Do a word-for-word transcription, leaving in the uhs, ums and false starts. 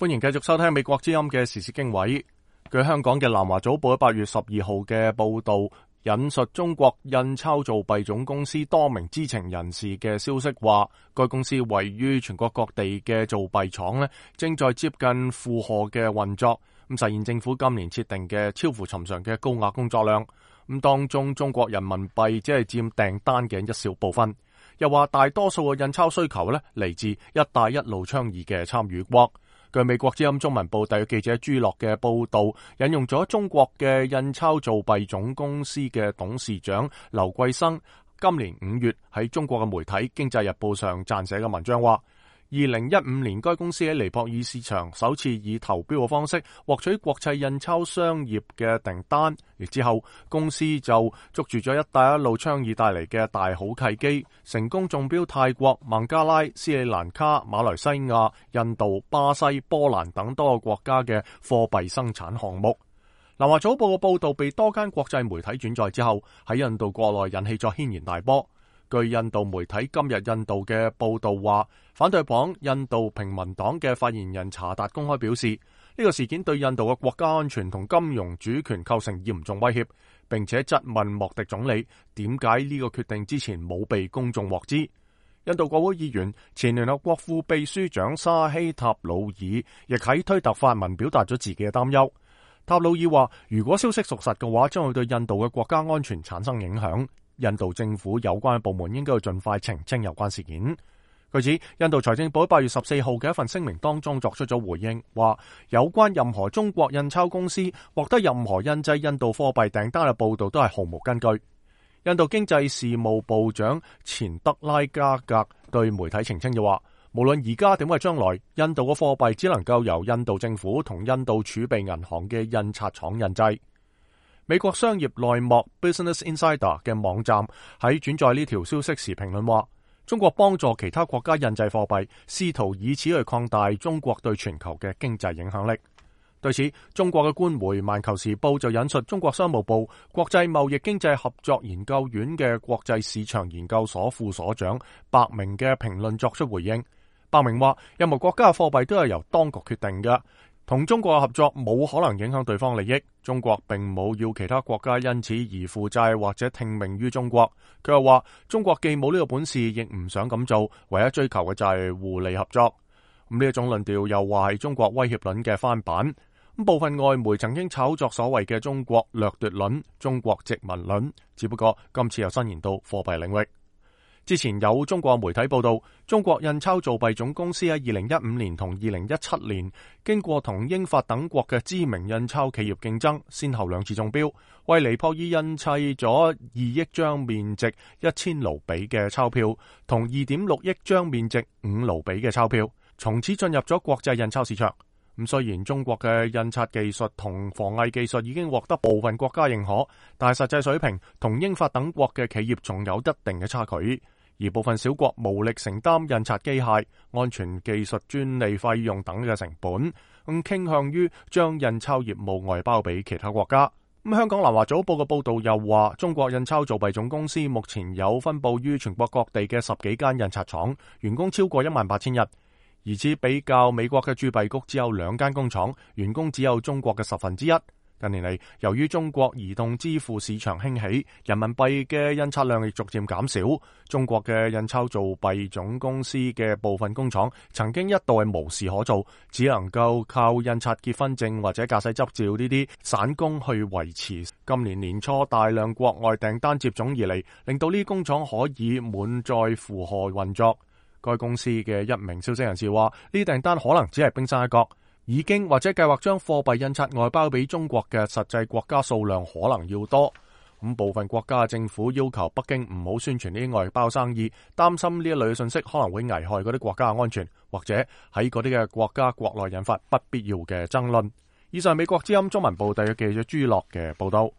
歡迎繼續收聽美國之音嘅時事經緯。據香港嘅南華早報喺八月十二號嘅報道，引述中國印鈔造幣總公司多名知情人士嘅消息話，該公司位於全國各地嘅造幣廠呢，正在接近負荷嘅運作，咁實現政府今年設定嘅超乎尋常嘅高額工作量。咁當中中國人民幣只係佔訂單嘅一小部分。又話大多數嘅印鈔需求呢，嚟自一帶一路倡議嘅參與國。據美國之音中文部特約記者朱樂嘅報道，引用咗中國嘅印鈔造幣總公司嘅董事長劉桂生今年五月喺中國嘅媒體《經濟日報》上撰寫嘅文章話，二零一五年該公司喺尼泊爾市場首次以投標嘅方式獲取國際印鈔商業嘅訂單，而之後公司就捉住咗一帶一路倡議帶嚟嘅大好契機，成功中標泰國、孟加拉、斯里蘭卡、馬來西亞、印度、巴西、波蘭等多個國家嘅貨幣生產項目。南華早報嘅報道被多間國際媒體轉載之後，喺印度國內引起咗軒然大波。據印度媒體今日印度嘅報道話，反對黨印度平民黨嘅發言人查達公開表示，呢個事件對印度嘅國家安全同金融主權構成嚴重威脅，並且質問莫迪總理點解呢個決定之前冇被公眾獲知。印度國會議員前聯合國副秘書長沙希塔魯爾亦喺推特發文表達咗自己嘅擔憂。塔魯爾話，如果消息屬實嘅話，將會對印度嘅國家安全產生影響。印度政府有關部門應該要盡快澄清有關事件。據指，印度財政部喺八月十四號嘅一份聲明當中作出咗回應，話有關任何中國印鈔公司獲得任何印製印度貨幣訂單嘅報道都係毫無根據。印度經濟事務部長錢德拉加格對媒體澄清就話，無論而家點或將來，印度嘅貨幣只能夠由印度政府同印度儲備銀行嘅印刷廠印製。美國商業內幕 Business Insider 嘅網站喺轉載呢條消息時評論話，中國幫助其他國家印製貨幣，試圖以此去擴大中國對全球嘅經濟影響力。對此，中國嘅官媒《環球時報》就引述中國商務部國際貿易經濟合作研究院嘅國際市場研究所副所長白明嘅評論作出回應。白明話，任何國家嘅貨幣都係由當局決定嘅，同中國嘅合作冇可能影響對方利益。中國並冇要其他國家因此而負債或者聽命於中國。佢又話，中國既冇呢個本事，亦唔想咁做，唯一追求嘅就係互利合作。咁呢一種論調又話係中國威脅論嘅翻版。咁部分外媒曾經炒作所謂嘅中國掠奪論、中國殖民論，只不過今次又伸延到貨幣領域。之前有中國媒體報道，中國印鈔造幣總公司喺二零一五年同二零一七年經過同英法等國嘅知名印鈔企業競爭，先後兩次中標，為尼泊爾印砌咗二億張面值一千盧比嘅鈔票，同二點六億張面值五盧比嘅鈔票，從此進入咗國際印鈔市場。咁雖然中國嘅印刷技術同防偽技術已經獲得部分國家認可，但係實際水平同英法等國嘅企業仲有一定嘅差距，而部分小國無力承擔印刷機械、安全技術專利費用等嘅成本，咁傾向於將印鈔業務外包俾其他國家。咁香港南華早報嘅報道又話，中國印鈔造幣總公司目前有分佈於全國各地嘅十幾間印刷廠，員工超過一萬八千人。而此比較美國嘅鑄幣局只有兩間工廠，員工只有中國嘅十分之一。近年嚟，由於中國移動支付市場興起，人民幣嘅印刷量亦逐漸減少。中國嘅印鈔造幣總公司嘅部分工廠曾經一度係無事可做，只能夠靠印刷結婚證或者駕駛執照呢啲散工去維持。今年年初大量國外訂單接踵而嚟，令到呢啲工廠可以滿載負荷運作。該公司嘅一名消息人士話，呢啲訂單可能只係冰山一角，已經或者計劃將貨幣印刷外包俾中國嘅實際國家數量可能要多。咁部分國家嘅政府要求北京唔好宣傳呢啲外包生意，擔心呢一類嘅信息可能會危害嗰啲國家嘅安全，或者喺嗰啲嘅國家國內引發不必要嘅爭論。以上美國之音中文部特約記者朱樂嘅報道。